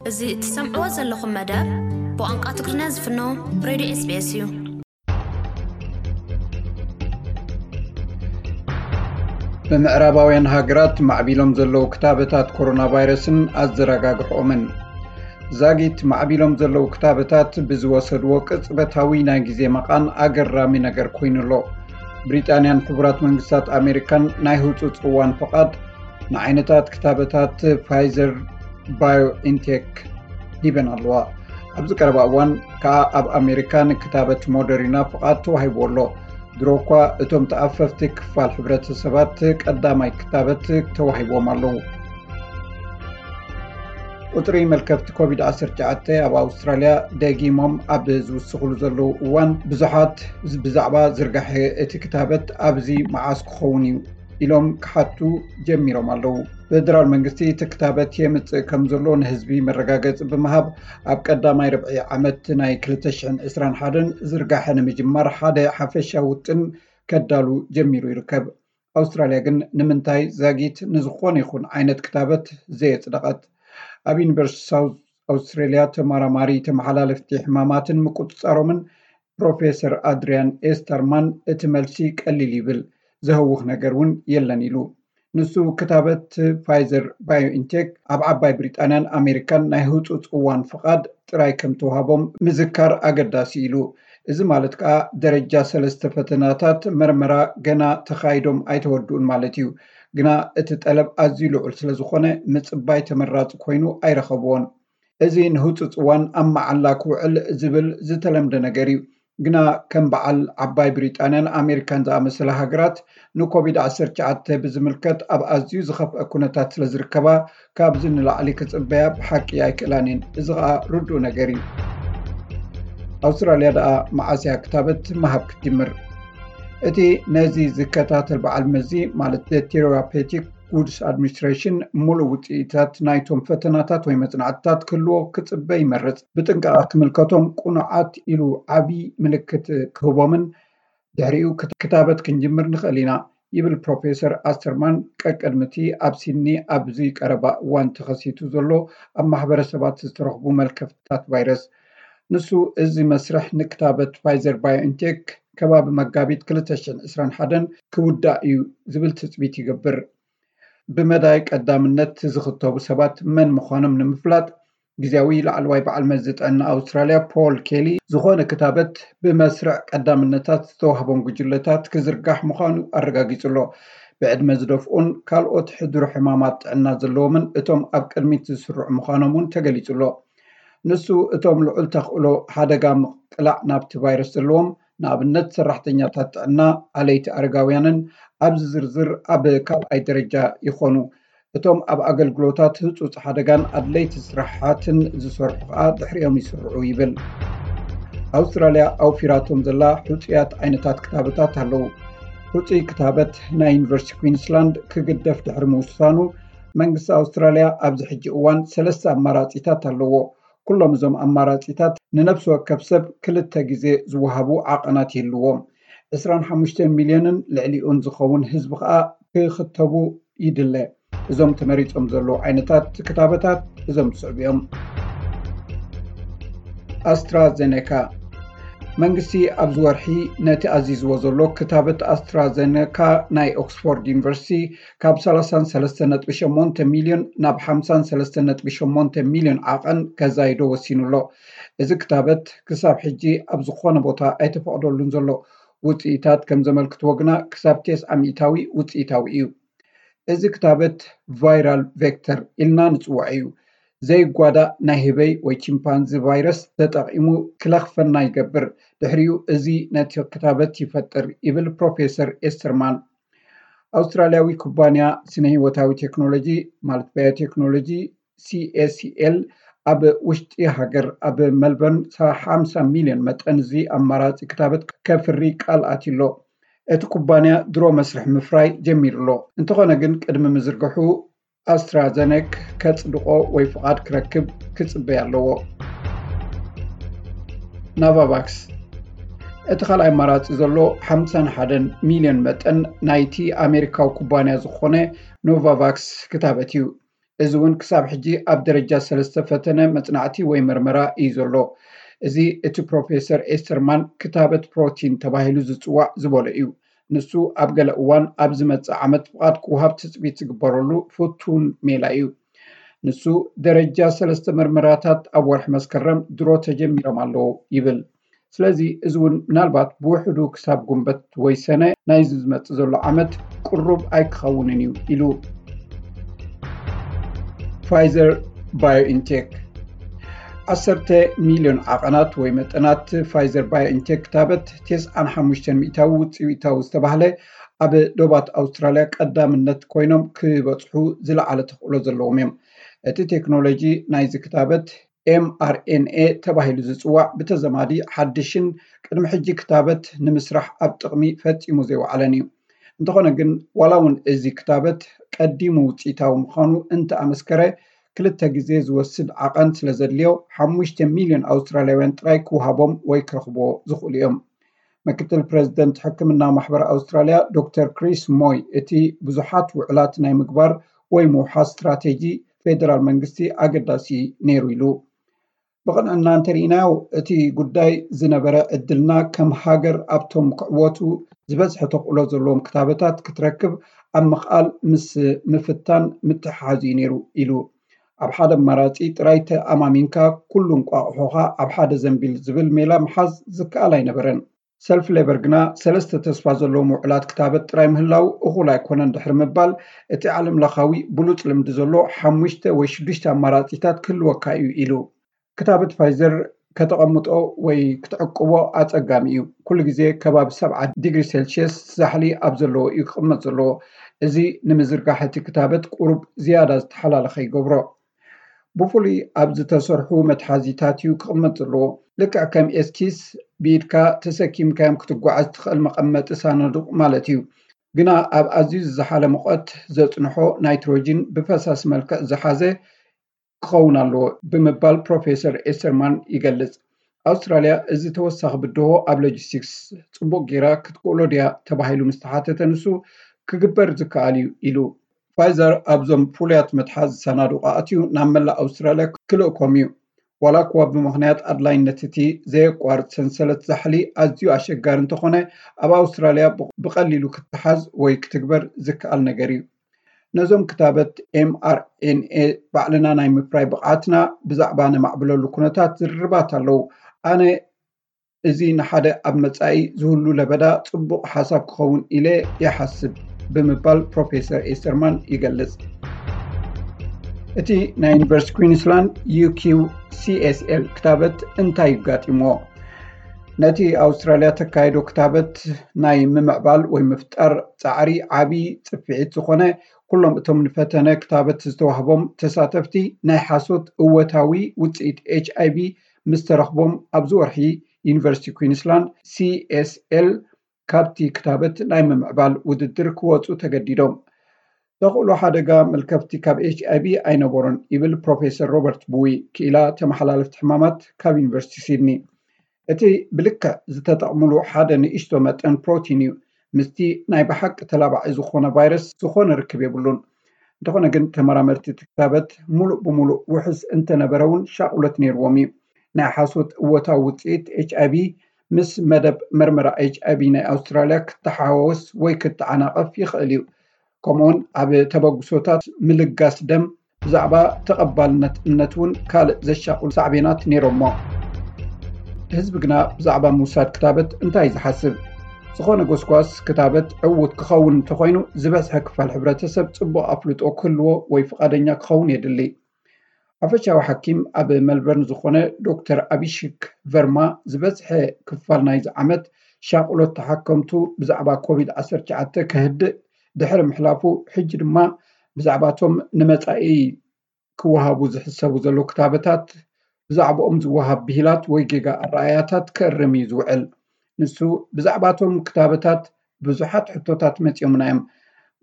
እዚ እትሰምዕዎ ዘለኹም መደብ ብቋንቋ ትግርኛ ዝፍኖ ሬድዮ ኤስቢኤስ እዩ። ብምዕራባውያን ሃገራት ማዕቢሎም ዘለዉ ክታበታት ኮሮና ቫይረስን ኣዘረጋግሕኦምን። ዛጊት ማዕቢሎም ዘለዉ ክታበታት ብዝወሰድዎ ቅጽበታዊ ናይ ግዜ መቓን ኣገራሚ ነገር ኮይኑ ኣሎ። ብሪጣንያን ሕቡራት መንግስታት ኣሜሪካን ናይ ህጹጽ እዋን ፍቓድ ንዓይነታት ክታበታት ፋይዘር ባዮኢንቴክ ሂበን ኣለዋ። ኣብዚ ቀረባ እዋን ከኣ ኣብ ኣሜሪካ ንክታበት ሞደሪና ፍቓድ ተዋሂብዎ ኣሎ። ድሮ እኳ እቶም ተኣፈፍቲ ክፋል ሕብረተሰባት ቀዳማይ ክታበት ተዋሂብዎም ኣለዉ። ቁጽሪ መልከፍቲ ኮቪድ ዓሰርተ ትሽዓተ ኣብ ኣውስትራልያ ደጊሞም ኣብ ዝውስኽሉ ዘለዉ እዋን ብዙሓት ብዛዕባ ዝርጋሐ እቲ ክታበት ኣብዚ መዓስ ክኸውን እዩ ኢሎም ክሓቱ ጀሚሮም ኣለዉ። ፌደራል መንግስቲ እቲ ክታበት የምጽእ ከም ዘሎ ንህዝቢ መረጋገጺ ብምሃብ ኣብ ቀዳማይ ርብዒ ዓመት ናይ ክልተ ሽሕን ዕስራን ሓደን ዝርጋሐ ንምጅማር ሓደ ሓፈሻዊ ውጥን ከዳሉ ጀሚሩ ይርከብ። ኣውስትራልያ ግን ንምንታይ ዛጊት ንዝኾነ ይኹን ዓይነት ክታበት ዘየጽደቐት? ኣብ ዩኒቨርሲቲ ሳውዝ ኣውስትራልያ ተመራማሪ ተመሓላለፍቲ ሕማማትን ምቁጽጻሮምን ፕሮፌሰር ኣድሪያን ኤስተርማን እቲ መልሲ ቀሊል ይብል፣ ዘህውኽ ነገር እውን የለን ኢሉ። ንሱ ክታበት ፋይዘር ባዮኢንቴክ ኣብ ዓባይ ብሪጣንያን ኣሜሪካን ናይ ህጹጽ እዋን ፍቓድ ጥራይ ከም ተዋህቦም ምዝካር ኣገዳሲ ኢሉ። እዚ ማለት ከኣ ደረጃ ሰለስተ ፈተናታት መርመራ ገና ተኻይዶም ኣይተወድኡን ማለት እዩ። ግና እቲ ጠለብ ኣዝዩ ልዑል ስለ ዝኾነ ምጽባይ ተመራጺ ኮይኑ ኣይረኸብዎን። እዚ ንህጹጽ እዋን ኣብ መዓላ ክውዕል ዝብል ዝተለምደ ነገር እዩ። ግና ከም በዓል ዓባይ ብሪጣንያን ኣሜሪካን ዝኣመሰላ ሃገራት ንኮቪድ ዓሰርተ ትሽዓተ ብዝምልከት ኣብ ኣዝዩ ዝኸፍአ ኩነታት ስለ ዝርከባ ካብዚ ንላዕሊ ክጽበያ ብሓቂ ኣይክእላን እየን። እዚ ኸኣ ርዱእ ነገር እዩ። ኣውስትራልያ ደኣ መዓስ እያ ክታበት ምሃብ ክትጅምር? እቲ ነዚ ዝከታተል በዓል መዚ ማለት ቴራፔቲክ ጉድስ ኣድሚኒስትሬሽን ምሉእ ውፅኢታት ናይቶም ፈተናታት ወይ መፅናዕትታት ክህልዎ ክፅበ ይመርፅ። ብጥንቃቐ ክምልከቶም ቁኑዓት ኢሉ ዓብዪ ምልክት ክህቦምን ድሕሪኡ ክታበት ክንጅምር ንኽእል ኢና ይብል ፕሮፌሰር ኣስተርማን ቀቅድሚ እቲ ኣብ ሲድኒ ኣብዚ ቀረባ እዋን ተኸሲቱ ዘሎ ኣብ ማሕበረሰባት ዝተረኽቡ መልከፍትታት ቫይረስ። ንሱ እዚ መስርሕ ንክታበት ፋይዘር ባዮንቴክ ከባቢ መጋቢት ክልተ ሽሕን ዕስራን ሓደን ክውዳእ እዩ ዝብል ትፅቢት ይገብር። ብመዳይ ቀዳምነት ዝኽተቡ ሰባት መን ምዃኖም ንምፍላጥ ግዜያዊ ላዕለዋይ በዓል መዚ ጥዕና ኣውስትራልያ ፖል ኬሊ ዝኾነ ክታበት ብመስርዕ ቀዳምነታት ዝተዋህቦም ጉጅለታት ክዝርጋሕ ምዃኑ ኣረጋጊጹ ኣሎ። ብዕድመ ዝደፍኡን ካልኦት ሕዱር ሕማማት ጥዕና ዘለዎምን እቶም ኣብ ቅድሚት ዝስርዑ ምዃኖም እውን ተገሊጹ ኣሎ። ንሱ እቶም ልዑል ተኽእሎ ሓደጋ ምቕላዕ ናብቲ ቫይረስ ዘለዎም ንኣብነት ሰራሕተኛታት ጥዕና ኣለይቲ ኣረጋውያንን ኣብዚ ዝርዝር ኣብ ካልኣይ ደረጃ ይኾኑ። እቶም ኣብ ኣገልግሎታት ህጹጽ ሓደጋን ኣድለይቲ ስራሓትን ዝሰርሑ ከኣ ድሕሪኦም ይስርዑ ይብል። ኣውስትራልያ ኣውፊራቶም ዘላ ሕጹያት ዓይነታት ክታበታት ኣለዉ። ሕጹይ ክታበት ናይ ዩኒቨርሲቲ ኩዊንስላንድ ክግደፍ ድሕሪ ምውሳኑ መንግስቲ ኣውስትራልያ ኣብዚ ሕጂ እዋን ሰለስተ ኣማራጺታት ኣለዎ። ኩሎም እዞም ኣማራጺታት ንነፍሲ ወከፍ ሰብ ክልተ ግዜ ዝወሃቡ ዓቐናት ይህልዎም። ዕስራን ሓሙሽተ ሚልዮንን ልዕሊኡን ዝኸውን ህዝቢ ከኣ ክኽተቡ ይድለ። እዞም ተመሪጾም ዘለዉ ዓይነታት ክታበታት እዞም ዝስዕቡ እዮም። ኣስትራዘኔካ መንግስቲ ኣብዚ ወርሒ ነቲ ኣዚዝዎ ዘሎ ክታበት ኣስትራዘኔካ ናይ ኦክስፎርድ ዩኒቨርሲቲ ካብ ሰላሳን ሰለስተ ነጥቢ ሸሞንተ ሚልዮን ናብ ሓምሳን ሰለስተ ነጥቢ ሸሞንተ ሚልዮን ዓቐን ከዛይዶ ወሲኑ ኣሎ። እዚ ክታበት ክሳብ ሕጂ ኣብ ዝኾነ ቦታ ኣይተፈቕደሉን ዘሎ። ውፅኢታት ከም ዘመልክትዎ ግና ክሳብ ተስዓ ሚእታዊ ውፅኢታዊ እዩ። እዚ ክታበት ቫይራል ቬክተር ኢልና ንፅውዖ እዩ። ዘይጓዳእ ናይ ህበይ ወይ ቺምፓንዚ ቫይረስ ተጠቒሙ ክለኽፈና ይገብር። ድሕሪኡ እዚ ነቲ ክታበት ይፈጥር ይብል ፕሮፌሰር ኤስተርማን። ኣውስትራልያዊ ኩባንያ ስነ ህይወታዊ ቴክኖሎጂ ማለት ባዮቴክኖሎጂ ሲኤሲኤል ኣብ ውሽጢ ሃገር ኣብ መልበርን ሓምሳ ሚልዮን መጠን እዚ ኣማራፂ ክታበት ከፍሪ ቃል ኣትዩ ኣሎ። እቲ ኩባንያ ድሮ መስርሕ ምፍራይ ጀሚሩ ኣሎ። እንተኾነ ግን ቅድሚ ምዝርግሑ ኣስትራዘነክ ከጽድቆ ወይ ፍቓድ ክረክብ ክጽበይ ኣለዎ። ናቫቫክስ እቲ ካልኣይ ኣማራጺ ዘሎ ሓምሳን ሓደን ሚልዮን መጠን ናይቲ ኣሜሪካዊ ኩባንያ ዝኾነ ኖቫቫክስ ክታበት እዩ። እዚ እውን ክሳብ ሕጂ ኣብ ደረጃ ሰለስተ ፈተነ መጽናዕቲ ወይ መርመራ እዩ ዘሎ። እዚ እቲ ፕሮፌሰር ኤስተርማን ክታበት ፕሮቲን ተባሂሉ ዝጽዋዕ ዝበሎ እዩ። ንሱ ኣብ ገለ እዋን ኣብ ዝመጽእ ዓመት ፍቓድ ክወሃብ ትጽቢት ዝግበረሉ ፍቱን ሜላ እዩ። ንሱ ደረጃ ሰለስተ መርመራታት ኣብ ወርሒ መስከረም ድሮ ተጀሚሮም ኣለዉ ይብል። ስለዚ እዚ እውን ምናልባት ብውሕዱ ክሳብ ጉንበት ወይ ሰነ ናይዚ ዝመጽእ ዘሎ ዓመት ቅሩብ ኣይክኸውንን እዩ ኢሉ። ፋይዘር ባዮኢንቴክ ዓሰርተ ሚልዮን ዓቐናት ወይ መጠናት ፋይዘር ባዮኢንቴክ ክታበት ተስዓን ሓሙሽተን ሚእታዊ ውፅኢታዊ ዝተባህለ ኣብ ዶባት ኣውስትራልያ ቀዳምነት ኮይኖም ክበፅሑ ዝለዓለ ተኽእሎ ዘለዎም እዮም። እቲ ቴክኖሎጂ ናይዚ ክታበት ኤምኣርኤንኤ ተባሂሉ ዝፅዋዕ ብተዘማዲ ሓድሽን ቅድሚ ሕጂ ክታበት ንምስራሕ ኣብ ጥቕሚ ፈፂሙ ዘይወዓለን እዩ። እንተኾነ ግን ዋላ እውን እዚ ክታበት ቀዲሙ ውፅኢታዊ ምዃኑ እንተኣመስከረ ክልተ ግዜ ዝወስድ ዓቐን ስለ ዘድልዮ ሓሙሽተ ሚልዮን ኣውስትራልያውያን ጥራይ ክወሃቦም ወይ ክረኽቦ ዝኽእሉ እዮም። ምክትል ፕረዚደንት ሕክምና ማሕበር ኣውስትራልያ ዶክተር ክሪስ ሞይ እቲ ብዙሓት ውዕላት ናይ ምግባር ወይ ምውሓስ ስትራቴጂ ፌደራል መንግስቲ ኣገዳሲ ነይሩ ኢሉ። ብቕንዕና እንተርኢናዮ እቲ ጉዳይ ዝነበረ ዕድልና ከም ሃገር ኣብቶም ክዕወቱ ዝበዝሐ ተኽእሎ ዘለዎም ክታበታት ክትረክብ ኣብ ምኽኣል ምስ ምፍታን ምትሕሓዝ እዩ ነይሩ ኢሉ። ኣብ ሓደ ኣማራፂ ጥራይ ተኣማሚንካ ኩሉ እንቋቑሖኻ ኣብ ሓደ ዘንቢል ዝብል ሜላ ምሓዝ ዝከኣል ኣይነበረን። ሰልፍ ሌበር ግና ሰለስተ ተስፋ ዘለዎም ውዕላት ክታበት ጥራይ ምህላው እኹል ኣይኮነን ድሕሪ ምባል እቲ ዓለም ለኻዊ ብሉፅ ልምዲ ዘሎ ሓሙሽተ ወይ ሽዱሽተ ኣማራፂታት ክህልወካ እዩ ኢሉ። ክታበት ፋይዘር ከተቐምጦ ወይ ክትዕቅቦ ኣጸጋሚ እዩ። ኩሉ ግዜ ከባቢ ሰብዓ ዲግሪ ሴልሽየስ ዛሕሊ ኣብ ዘለዎ እዩ ክቕመጥ ዘለዎ። እዚ ንምዝርጋሕ እቲ ክታበት ቁሩብ ዝያዳ ዝተሓላለኸ ይገብሮ። ብፍሉይ ኣብ ዝተሰርሑ መትሓዚታት እዩ ክቕመጥ ዘለዎ። ልክዕ ከም ኤስኪስ ብኢድካ ተሰኪምካዮም ክትጓዓዝ ትኽእል መቐመጢ ሳንዱቕ ማለት እዩ። ግና ኣብ ኣዝዩ ዝዘሓለ ሙቐት ዘጽንሖ ናይትሮጂን ብፈሳሲ መልክዕ ዝሓዘ ክኸውን ኣለዎ ብምባል ፕሮፌሰር ኤስተርማን ይገልጽ። ኣውስትራልያ እዚ ተወሳኺ ብድሆ ኣብ ሎጂስቲክስ ጽቡቕ ጌራ ክትክእሎ ድያ ተባሂሉ ምስ ተሓተተ ንሱ ክግበር ዝከኣል እዩ ኢሉ። ፋይዘር ኣብዞም ፍሉያት መትሓዚ ሳናዱቕ ኣእትዩ ናብ መላእ ኣውስትራልያ ክልእኮም እዩ። ዋላ እኳ ብምኽንያት ኣድላይነት እቲ ዘየቋርጽ ሰንሰለት ዛሕሊ ኣዝዩ ኣሸጋሪ እንተኾነ ኣብ ኣውስትራልያ ብቐሊሉ ክትሓዝ ወይ ክትግበር ዝከኣል ነገር እዩ። ነዞም ክታበት ኤምኣርኤንኤ ባዕልና ናይ ምፍራይ ብቕዓትና ብዛዕባ ነማዕብለሉ ኩነታት ዝርርባት ኣለዉ። ኣነ እዚ ንሓደ ኣብ መጻኢ ዝህሉ ለበዳ ጽቡቕ ሓሳብ ክኸውን ኢለ ይሓስብ ብምባል ፕሮፌሰር ኤስተርማን ይገልጽ። እቲ ናይ ዩኒቨርሲቲ ኩዊንስላንድ ዩኪው ሲኤስኤል ክታበት እንታይ ይጋጢምዎ? ነቲ ኣውስትራልያ ተካይዶ ክታበት ናይ ምምዕባል ወይ ምፍጣር ጻዕሪ ዓቢ ጽፍዒት ዝኾነ ኩሎም እቶም ንፈተነ ክታበት ዝተዋህቦም ተሳተፍቲ ናይ ሓሶት እወታዊ ውጽኢት ኤች ኣይቪ ምስ ተረኽቦም ኣብዚ ወርሒ ዩኒቨርሲቲ ኩዊንስላንድ ሲኤስኤል ካብቲ ክታበት ናይ ምምዕባል ውድድር ክወፁ ተገዲዶም። ተኽእሎ ሓደጋ መልከፍቲ ካብ ኤች ኣይቪ ኣይነበሮን ይብል ፕሮፌሰር ሮበርት ቡዊ ክኢላ ተመሓላለፍቲ ሕማማት ካብ ዩኒቨርሲቲ ሲድኒ። እቲ ብልክዕ ዝተጠቕምሉ ሓደ ንእሽቶ መጠን ፕሮቲን እዩ ምስቲ ናይ ብሓቂ ተላባዒ ዝኾነ ቫይረስ ዝኾነ ርክብ የብሉን። እንተኾነ ግን ተመራመርቲ እቲ ክታበት ሙሉእ ብሙሉእ ውሑስ እንተነበረ እውን ሻቕሎት ነይርዎም እዩ። ናይ ሓሶት እወታዊ ውፅኢት ኤች ኣይቪ ምስ መደብ መርመራ ኤች ኣይቪ ናይ ኣውስትራልያ ክተሓዋወስ ወይ ክተዓናቐፍ ይኽእል እዩ። ከምኡውን ኣብ ተበግሶታት ምልጋስ ደም ብዛዕባ ተቐባልነት እምነት እውን ካልእ ዘሻቕሉ ሳዕቤናት ነይሮሞ። ህዝቢ ግና ብዛዕባ ምውሳድ ክታበት እንታይ እዩ ዝሓስብ? ዝኾነ ጎስጓስ ክታበት ዕዉት ክኸውን እንተኾይኑ ዝበዝሐ ክፋል ሕብረተሰብ ጽቡቕ ኣፍልጦ ክህልዎ ወይ ፍቓደኛ ክኸውን የድሊ። ሓፈሻዊ ሓኪም ኣብ መልበርን ዝኾነ ዶክተር ኣቢሽክ ቨርማ ዝበዝሐ ክፋል ናይዚ ዓመት ሻቕሎት ተሓከምቱ ብዛዕባ ኮቪድ ዓሰርተ ትሽዓተ ከህድእ ድሕሪ ምሕላፉ ሕጂ ድማ ብዛዕባቶም ንመጻኢ ክወሃቡ ዝሕሰቡ ዘለዉ ክታበታት ብዛዕባኦም ዝወሃብ ብሂላት ወይ ጌጋ ኣረኣእያታት ክእርም እዩ ዝውዕል። ንሱ ብዛዕባቶም ክታበታት ብዙሓት ሕቶታት መፂኦምና እዮም።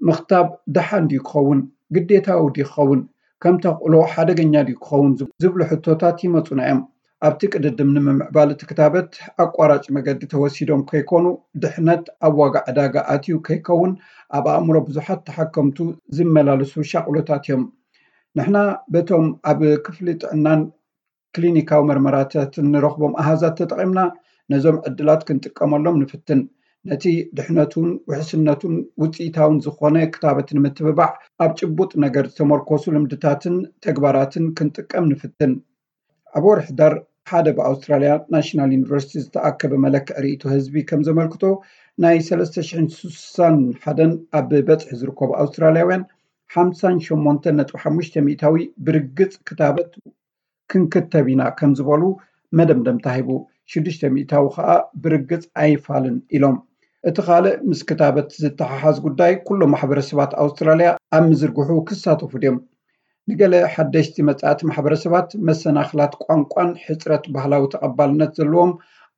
ምኽታብ ደሓን ድዩ ክኸውን? ግዴታዊ ድዩ ክኸውን? ከም ተኽእሎ ሓደገኛ ድዩ ክኸውን? ዝብሉ ሕቶታት ይመፁና እዮም። ኣብቲ ቅድድም ንምምዕባል እቲ ክታበት ኣቋራጭ መገዲ ተወሲዶም ከይኮኑ ድሕነት ኣብ ዋጋ ዕዳጋ ኣትዩ ከይከውን ኣብ ኣእምሮ ብዙሓት ተሓከምቱ ዝመላለሱ ሻቕሎታት እዮም። ንሕና በቶም ኣብ ክፍሊ ጥዕናን ክሊኒካዊ መርመራታትን ንረኽቦም ኣሃዛት ተጠቒምና ነዞም ዕድላት ክንጥቀመሎም ንፍትን። ነቲ ድሕነቱን ውሕስነቱን ውፅኢታውን ዝኾነ ክታበት ንምትብባዕ ኣብ ጭቡጥ ነገር ዝተመርኮሱ ልምድታትን ተግባራትን ክንጥቀም ንፍትን። ኣብ ወርሒ ሕዳር ሓደ ብኣውስትራልያ ናሽናል ዩኒቨርሲቲ ዝተኣከበ መለክዒ ርእይቶ ህዝቢ ከም ዘመልክቶ ናይ ሰለስተ ሽሕን ስሳን ሓደን ኣብ በፅሒ ዝርከቡ ኣውስትራልያውያን ሓምሳን ሸሞንተን ነጥቢ ሓሙሽተ ሚእታዊ ብርግፅ ክታበት ክንክተብ ኢና ከም ዝበሉ መደምደምታ ሂቡ። ሽዱሽተ ሚእታዊ ከዓ ብርግፅ ኣይፋልን ኢሎም። እቲ ካልእ ምስ ክታበት ዝተሓሓዝ ጉዳይ ኩሎም ማሕበረሰባት ኣውስትራልያ ኣብ ምዝርግሑ ክሳተፉ ድዮም? ንገለ ሓደሽቲ መጻእቲ ማሕበረሰባት መሰናኽላት ቋንቋን ሕጽረት ባህላዊ ተቐባልነት ዘለዎም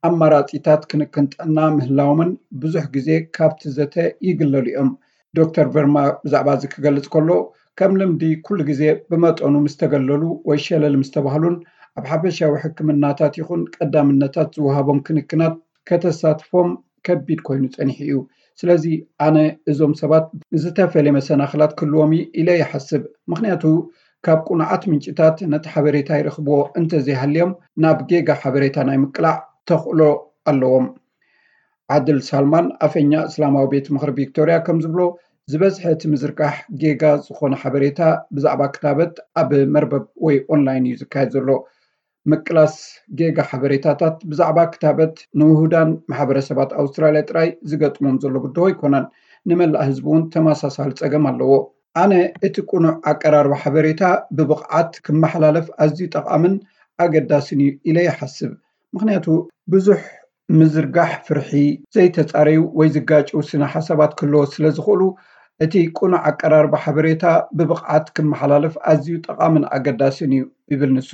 ኣማራጺታት ክንክን ጥዕና ምህላዎምን ብዙሕ ግዜ ካብቲ ዘተ ይግለሉ እዮም። ዶክተር ቨርማ ብዛዕባ እዚ ክገልጽ ከሎ፣ ከም ልምዲ ኩሉ ግዜ ብመጠኑ ምስ ተገለሉ ወይ ሸለል ምስ ተባህሉን ኣብ ሓፈሻዊ ሕክምናታት ይኹን ቀዳምነታት ዝወሃቦም ክንክናት ከተሳትፎም ከቢድ ኮይኑ ጸኒሑ እዩ። ስለዚ ኣነ እዞም ሰባት ዝተፈለየ መሰናኽላት ክህልዎም እዩ ኢለ ይሓስብ። ምኽንያቱ ካብ ቁኑዓት ምንጭታት ነቲ ሓበሬታ ይረኽብዎ እንተዘይሃልዮም ናብ ጌጋ ሓበሬታ ናይ ምቅላዕ ተኽእሎ ኣለዎም። ዓድል ሳልማን ኣፈኛ እስላማዊ ቤት ምኽሪ ቪክቶርያ ከም ዝብሎ ዝበዝሐ እቲ ምዝርጋሕ ጌጋ ዝኾነ ሓበሬታ ብዛዕባ ክታበት ኣብ መርበብ ወይ ኦንላይን እዩ ዝካየድ ዘሎ። ምቅላስ ጌጋ ሓበሬታታት ብዛዕባ ክታበት ንውሁዳን ማሕበረሰባት ኣውስትራልያ ጥራይ ዝገጥሞም ዘሎ ብድሆ ኣይኮነን። ንመላእ ህዝቢ እውን ተመሳሳሊ ጸገም ኣለዎ። ኣነ እቲ ቅኑዕ ኣቀራርባ ሓበሬታ ብብቕዓት ክመሓላለፍ ኣዝዩ ጠቓምን ኣገዳስን እዩ ኢለ ይሓስብ። ምኽንያቱ ብዙሕ ምዝርጋሕ ፍርሒ፣ ዘይተጻረዩ ወይ ዝጋጭው ስነ ሓሳባት ክህልዎ ስለ ዝኽእሉ እቲ ቅኑዕ ኣቀራርባ ሓበሬታ ብብቕዓት ክመሓላለፍ ኣዝዩ ጠቓምን ኣገዳስን እዩ ይብል ንሱ።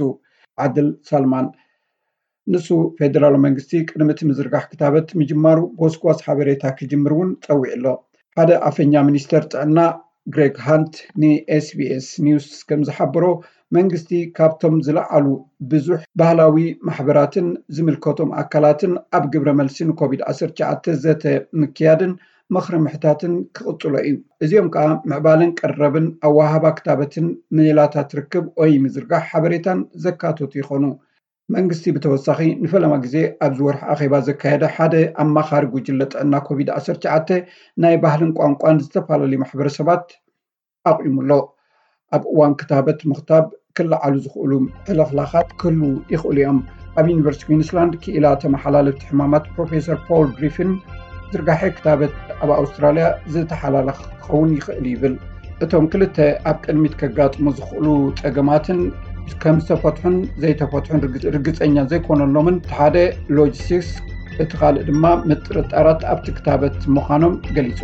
ዓድል ሳልማን ንሱ ፌደራል መንግስቲ ቅድሚ እቲ ምዝርጋሕ ክታበት ምጅማሩ ጎስጓስ ሓበሬታ ክጅምር እውን ጸዊዑ ኣሎ። ሓደ ኣፈኛ ሚኒስተር ጥዕና ግሬግ ሃንት ንኤስቢኤስ ኒውስ ከም ዝሓበሮ መንግስቲ ካብቶም ዝለዓሉ ብዙሕ ባህላዊ ማሕበራትን ዝምልከቶም ኣካላትን ኣብ ግብረ መልሲ ንኮቪድ ዓሰርተ ትሽዓተ ዘተ ምክያድን ምኽሪ ምሕታትን ክቕጽሎ እዩ። እዚኦም ከዓ ምዕባለን ቀረብን ኣወሃባ ክታበትን ሜላታት ርክብ ወይ ምዝርጋሕ ሓበሬታን ዘካተቱ ይኾኑ። መንግስቲ ብተወሳኺ ንፈለማ ግዜ ኣብዚ ወርሒ ኣኼባ ዘካየደ ሓደ ኣማኻሪ ጉጅለ ጥዕና ኮቪድ ዓሰርተ ትሽዓተ ናይ ባህልን ቋንቋን ዝተፈላለዩ ማሕበረሰባት ኣቑሙ ኣሎ። ኣብ እዋን ክታበት ምኽታብ ክለዓሉ ዝኽእሉ ሕልኽላኻት ክህልዉ ይኽእሉ እዮም። ኣብ ዩኒቨርሲቲ ኩዊንስላንድ ክኢላ ተመሓላለፍቲ ሕማማት ፕሮፌሰር ፖል ግሪፊን ዝርጋሐ ክታበት ኣብ ኣውስትራልያ ዝተሓላለኸ ክኸውን ይኽእል ይብል። እቶም ክልተ ኣብ ቅድሚት ከጋጥሙ ዝኽእሉ ጸገማትን ከም ዝተፈትሑን ዘይተፈትሑን ርግ- ርግጸኛ ዘይኮነሎምን፣ እቲ ሓደ ሎጂስቲክስ፣ እቲ ካልእ ድማ ምጥርጣራት ኣብቲ ክታበት ምዃኖም ገሊጹ።